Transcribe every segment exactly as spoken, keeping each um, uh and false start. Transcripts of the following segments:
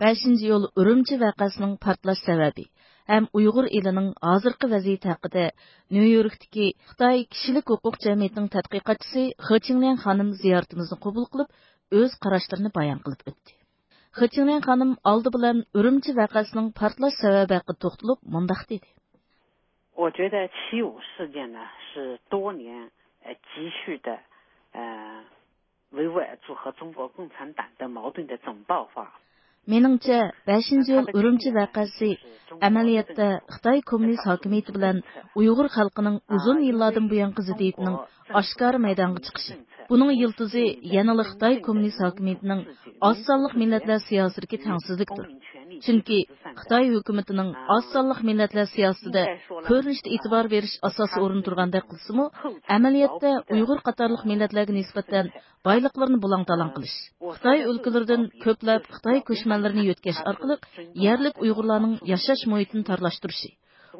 بەشىنچى ئىيۇل ئۈرۈمچى ۋەقەسىنىڭ پارتلاش سەۋەبى ھەم ئۇيغۇر ئېلىنىڭ ھازىرقى ۋەزىيىتى ھەققىدە نيۇ يوركتىكى خىتاي كىشىلىك ھوقۇق جەمئىيىتىنىڭ تەتقىقاتچىسى خې چىڭليەن خانىم زىيارىتىمىزنى قوبۇل قىلىپ، ئۆز قاراشلىرىنى بايان قىلىپ ئۆتتى. خې چىڭليەن خانىم ئالدى بىلەن ئۈرۈمچى ۋەقەسىنىڭ پارتلاش سەۋەبى ھەققىدە توختىلىپ مۇنداق دېدى. 我觉得七五事件呢，是多年呃积蓄的呃维吾尔族和中国共产党的矛盾的总爆发。 مېنىڭچە، بەشىنچى ئىيۇل ئۈرۈمچى ۋەقەسى ئەمەلىيەتتە خىتاي كوممۇنىست ھاكىمىيىتى بىلەن ئۇيغۇر خەلقىنىڭ ئۇزۇن يىللاردىن بۇيانقى زىددىيىتىنىڭ ئاشكارا مەيدانغا چىقىشى. بۇنىڭ يىلتىزى يەنىلا خىتاي كوممۇنىست ھاكىمىيىتىنىڭ ئاز سانلىق مىللەتلەر سىياسىتىدىكى تەڭسىزلىكتۇر. چۈنكى خىتاي ھۆكۈمىتىنىڭ ئاز سانلىق مىللەتلەر سىياسىتىدە كۆرۈنۈشتە ئېتىبار بېرىش ئاساسىي ئورۇندا تۇرغاندەك قىلسىمۇ، ئەمەلىيەتتە ئۇيغۇر قاتارلىق مىللەتلەرگە نىسبەتەن بايلىقلىرىنى بۇلاڭ-تالاڭ قىلىش، خىتاي ئۆلكىلىرىدىن كۆپلەپ خىتاي كۆچمەنلىرىنى يۆتكەش ئارقىلىق يەرلىك ئۇيغۇرلارنىڭ ياشاش مۇھىتىنى تارلاشتۇرۇشى،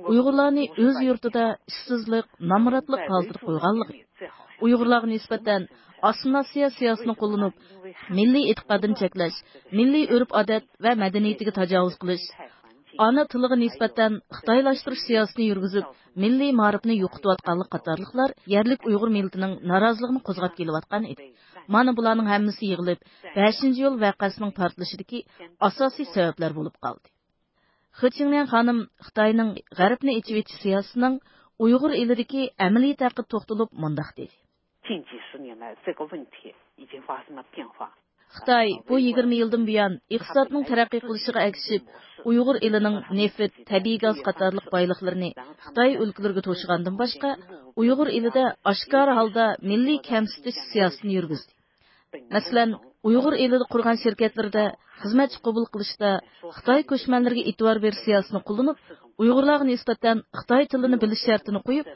ئۇيغۇرلارنى ئۆز يۇرتىدا ئىشسىزلىق، نامراتلىق ھالىتىدە قويغانلىقى، ئۇيغۇرلارغا نىسبەتەن ئاسسىمىلياتسىيە سىياسىتىنى قوللىنىپ، مىللىي ئېتىقادىنى چەكلەش، مىللىي ئۆرپ-ئادەت ۋە مەدەنىيىتىگە تاجاۋۇز قىلىش، ئانا تىلىغا نىسبەتەن خىتايلاشتۇرۇش سىياسىتىنى يۈرگۈزۈپ، مىللىي مائارىپنى يوقىتىۋاتقانلىقى قاتارلىقلار يەرلىك ئۇيغۇر مىللىتىنىڭ نارازىلىقىنى قوزغاپ كېلىۋاتقان ئىدى. مانا بۇلارنىڭ ھەممىسى يىغىلىپ، بەشىنچى ئىيۇل ۋەقەسىنىڭ پارتلىشىدىكى ئاساسىي سەۋەبلەر بولۇپ قالدى. خې چىڭليەن خانىم خىتاينىڭ غەربنى ئېچىۋېتىش سىياسىتىنىڭ ئۇيغۇر ئېلىدىكى ئەمەلىيىتى ھەققىدە توختىلىپ مۇنداق دېدى. 近几十年来，这个问题已经发生了变化。 خىتاي بۇ يىگىرمە يىلدىن بۇيان ئىقتىسادنىڭ تەرەققىي قىلىشىغا ئەگىشىپ، ئۇيغۇر ئېلىنىڭ نېفىت، تەبىئىي گاز قاتارلىق بايلىقلىرىنى خىتاي ئۆلكىلىرىگە توشۇغاندىن باشقا، ئۇيغۇر ئېلىدە ئاشكارا ھالدا مىللىي كەمسىتىش سىياسىتىنى يۈرگۈزدى. مەسىلەن، ئۇيغۇر ئېلىدە قۇرغان شىركەتلىرىدە خىزمەتچى قوبۇل قىلىشتا خىتاي كۆچمەنلىرىگە ئېتىبار بېرىش سىياسىتىنى قوللىنىپ، ئۇيغۇرلارغا نىسبەتەن خىتاي تىلىنى بىلىش شەرتىنى قويۇپ،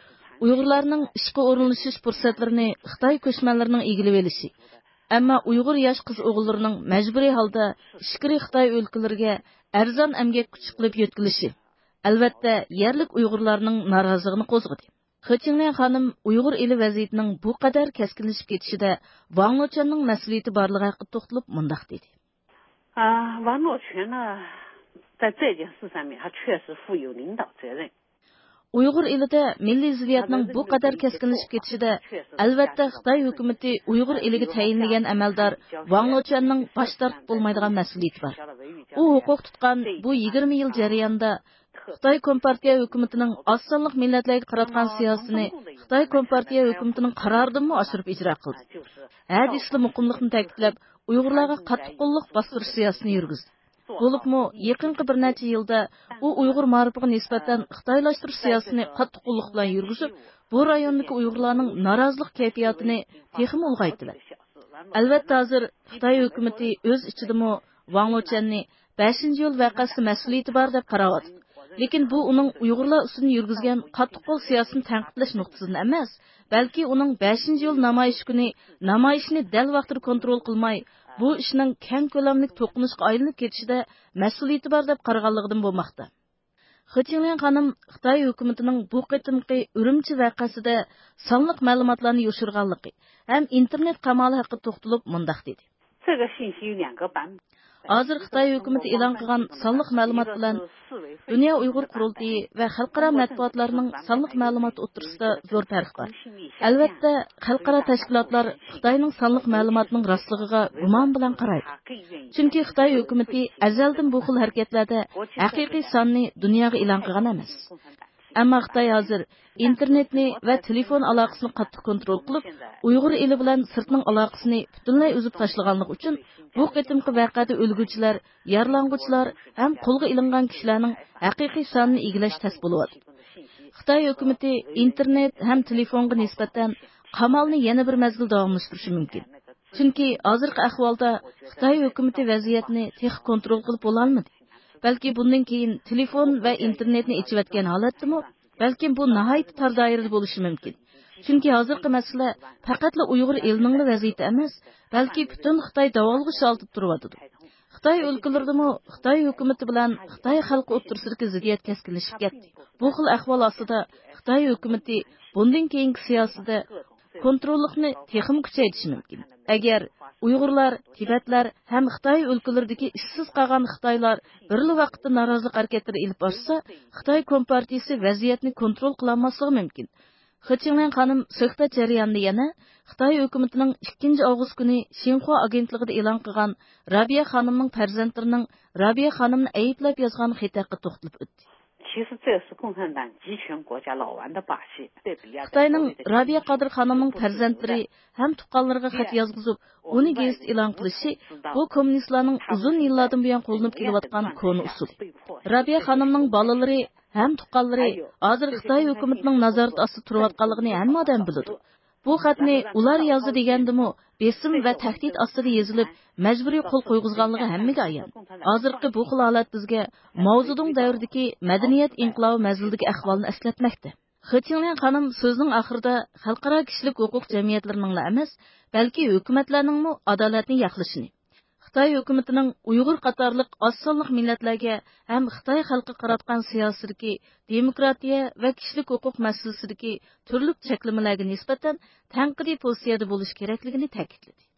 ئۇيغۇرلارنىڭ ئىشقا ئورۇنلىشىش پۇرسەتلىرىنى خىتاي كۆچمەنلىرىنىڭ ئىگىلىۋېلىشى، ئەمما ئۇيغۇر ياش قىز ئوغۇللىرىنىڭ مەجبۇرىي ھالدا ئىچكىرى خىتاي ئۆلكىلىرىگە ئەرزان ئەمگەك كۈچى قىلىپ يۆتكىلىشى، ئەلۋەتتە، يەرلىك ئۇيغۇرلارنىڭ نارازىلىقىنى قوزغىدى. خې چىڭليەن خانىم ئۇيغۇر ئېلى ۋەزىيىتىنىڭ بۇ قەدەر كەسكىنلىشىپ كېتىشىدە ۋاڭ لېچۈەننىڭ مەسئۇلىيىتى بارلىقى ھەققىدە توختىلىپ مۇنداق دېدى. 啊，王洛泉呢，在这件事上面，他确实负有领导责任。 ئۇيغۇر ئېلىدە مىللىي زىددىيەتنىڭ بۇ قەدەر كەسكىنلىشىپ كېتىشىدە، ئەلۋەتتە، خىتاي ھۆكۈمىتى ئۇيغۇر ئېلىگە تەيىنلىگەن ئەمەلدار ۋاڭ لېچۈەننىڭ باش تارتىپ بولمايدىغان مەسئۇلىيىتى بار. ئۇ ھوقۇق تۇتقان بۇ يىگىرمە يىل جەريانىدا خىتاي كومپارتىيە ھۆكۈمىتىنىڭ ئاز سانلىق مىللەتلەرگە قاراتقان سىياسىتىنى خىتاي كومپارتىيە ھۆكۈمىتىنىڭ قارارىدىنمۇ ئاشۇرۇپ ئىجرا قىلدى. ھە دېسىلا مۇقىملىقنى تەكىتلەپ، ئۇيغۇرلارغا قاتتىق قوللۇق باستۇرۇش سىياسىتىنى يۈرگۈزدى. بولۇپمۇ يېقىنقى بىر نەچچە يىلدا ئۇ ئۇيغۇر مائارىپىغا نىسبەتەن خىتايلاشتۇرۇش سىياسىتىنى قاتتىق قوللۇق بىلەن يۈرگۈزۈپ، بۇ رايوندىكى ئۇيغۇرلارنىڭ نارازىلىق كەيپىياتىنى تېخىمۇ ئۇلغايتتى. ئەلۋەتتە، ھازىر خىتاي ھۆكۈمىتى ئۆز ئىچىدىمۇ ۋاڭ لېچۈەننى بەشىنچى ئىيۇل ۋەقەسىدە مەسئۇلىيىتى بار دەپ قاراۋاتىدۇ. لېكىن بۇ ئۇنىڭ ئۇيغۇرلار ئۈستىدىن يۈرگۈزگەن قاتتىق قول سىياسىتىنى تەنقىدلەش نۇقتىسىدىن ئەمەس، بەلكى ئۇنىڭ بەشىنچى ئىيۇل نامايىش كۈنى نامايىشنى دەل ۋاقتىدا كونترول قىلماي، بۇ ئىشنىڭ كەڭ كۆلەملىك توقۇنۇشقا ئايلىنىپ كېتىشىدە مەسئۇلىيىتى بار دەپ قارىغانلىقىدىن بولماقتا. خې چىڭليەن خانىم خىتاي ھۆكۈمىتىنىڭ بۇ قېتىمقى ئۈرۈمچى ۋەقەسىدە سانلىق مەلۇماتلارنى يوشۇرغانلىقى ھەم ئىنتېرنېت قامالى ھەققىدە توختىلىپ مۇنداق دېدى. 这个信息有两个版本。 ھازىر خىتاي ھۆكۈمىتى ئېلان قىلغان سانلىق مەلۇمات بىلەن دۇنيا ئۇيغۇر قۇرۇلتىيى ۋە خەلقئارا مەتبۇئاتلارنىڭ سانلىق مەلۇماتى ئوتتۇرىسىدا زور پەرق بار. ئەلۋەتتە، خەلقئارا تەشكىلاتلار خىتاينىڭ سانلىق مەلۇماتىنىڭ راستلىقىغا گۇمان بىلەن قارايدۇ. چۈنكى خىتاي ھۆكۈمىتى ئەزەلدىن بۇ خىل ھەرىكەتلەردە ھەقىقىي ساننى دۇنياغا ئېلان قىلغان ئەمەس. ئەمما خىتاي ھازىر ئىنتېرنېتنى ۋە تېلېفون ئالاقىسىنى قاتتىق كونترول قىلىپ، ئۇيغۇر ئېلى بىلەن سىرتنىڭ ئالاقىسىنى پۈتۈنلەي ئۈزۈپ تاشلىغانلىقى ئۈچۈن، بۇ قېتىمقى ۋەقەدە ئۆلگۈچىلەر، يارىلانغۇچىلار ھەم قولغا ئېلىنغان كىشىلەرنىڭ ھەقىقىي سانىنى ئىگىلەش تەس بولۇۋاتىدۇ. خىتاي ھۆكۈمىتى ئىنتېرنېت ھەم تېلېفونغا نىسبەتەن قامالنى يەنە بىر مەزگىل داۋاملاشتۇرۇشى مۇمكىن. چۈنكى ھازىرقى ئەھۋالدا خىتاي ھۆكۈمىتى ۋەزىيەتنى تېخى كونترول قىلىپ بولالمىدى. بەلكى بۇندىن كېيىن تېلېفون ۋە ئىنتېرنېتنى ئېچىۋەتكەن ھالەتتىمۇ، بەلكىم بۇ ناھايىتى تار دائىرىدە بولۇشى مۇمكىن. چۈنكى ھازىرقى مەسىلە پەقەتلا ئۇيغۇر ئېلىنىڭلا ۋەزىيىتى ئەمەس، بەلكى پۈتۈن خىتاي داۋالغۇش ھالىتىدە تۇرۇۋاتىدۇ. خىتاي ئۆلكىلىرىدىمۇ خىتاي ھۆكۈمىتى بىلەن خىتاي خەلقى ئوتتۇرىسىدىكى زىددىيەت كەسكىنلىشىپ كەتتى. بۇ خىل ئەھۋال ئاستىدا خىتاي ھۆكۈمىتى بۇندىن كېيىنكى سىياسىتىدە كونتروللۇقنى تېخىمۇ كۈچەيتىشى مۇمكىن. ئەگەر ئۇيغۇرلار، تىبەتلەر ھەم خىتاي ئۆلكىلىرىدىكى ئىشسىز قالغان خىتايلار بىرلا ۋاقىتتا نارازىلىق ھەرىكەتلىرى ئېلىپ بارسا، خىتاي كومپارتىيىسى ۋەزىيەتنى كونترول قىلالماسلىقى مۇمكىن. خې چىڭلىن خانىم سۆھبەت جەريانىدا يەنە خىتاي ھۆكۈمىتىنىڭ ئىككىنچى ئاۋغۇست كۈنى شىنخۇا ئاگېنتلىقىدا ئېلان قىلغان رابىيە خانىمنىڭ پەرزەنتلىرىنىڭ رابىيە خانىمنى ئەيىبلەپ يازغان خېتى ھەققىدە توختىلىپ ئۆتتى. 其实这是共产党集权国家老玩的把戏。 خىتاينىڭ رابىيە قادىر خانىمنىڭ پەرزەنتلىرى ھەم تۇغقانلىرىغا خەت يازغۇزۇپ، ئۇنى گېزىتتە ئېلان قىلىشى، بۇ كوممۇنىستلارنىڭ ئۇزۇن يىللاردىن بۇيان قوللىنىپ كېلىۋاتقان كونا ئۇسۇلى. رابىيە خانىمنىڭ بالىلىرى ھەم تۇغقانلىرى ھازىر خىتاي ھۆكۈمىتىنىڭ نازارىتى ئاستىدا تۇرۇۋاتقانلىقىنى ھەممە ئادەم بىلىدۇ. بۇ خەتنى ئۇلار يازدى دېگەندىمۇ، بېسىم ۋە تەھدىت ئاستىدا يېزىلىپ، مەجبۇرىي قول قويغۇزغانلىقى ھەممىگە ئايان. ھازىرقى بۇ خىل ھالەت بىزگە ماۋزېدۇڭ دەۋرىدىكى مەدەنىيەت ئىنقىلابى مەزگىلىدىكى ئەھۋالنى ئەسلەتمەكتە. خې چىڭلىن خانىم سۆزىنىڭ ئاخىرىدا خەلقئارا كىشىلىك ھوقۇق جەمئىيەتلىرىنىڭلا ئەمەس، بەلكى ھۆكۈمەتلەرنىڭمۇ ئادالەتنى ياقلىشىنى، خىتاي ھۆكۈمىتىنىڭ ئۇيغۇر قاتارلىق ئاز سانلىق مىللەتلەرگە ھەم خىتاي خەلقىگە قاراتقان سىياسىتىدىكى دېموكراتىيە ۋە كىشىلىك ھوقۇق مەسىلىسىدىكى تۈرلۈك چەكلىمىلەرگە نىسبەتەن تەنقىدىي پوزىتسىيەدە بولۇش كېرەكلىكىنى تەكىتلىدى.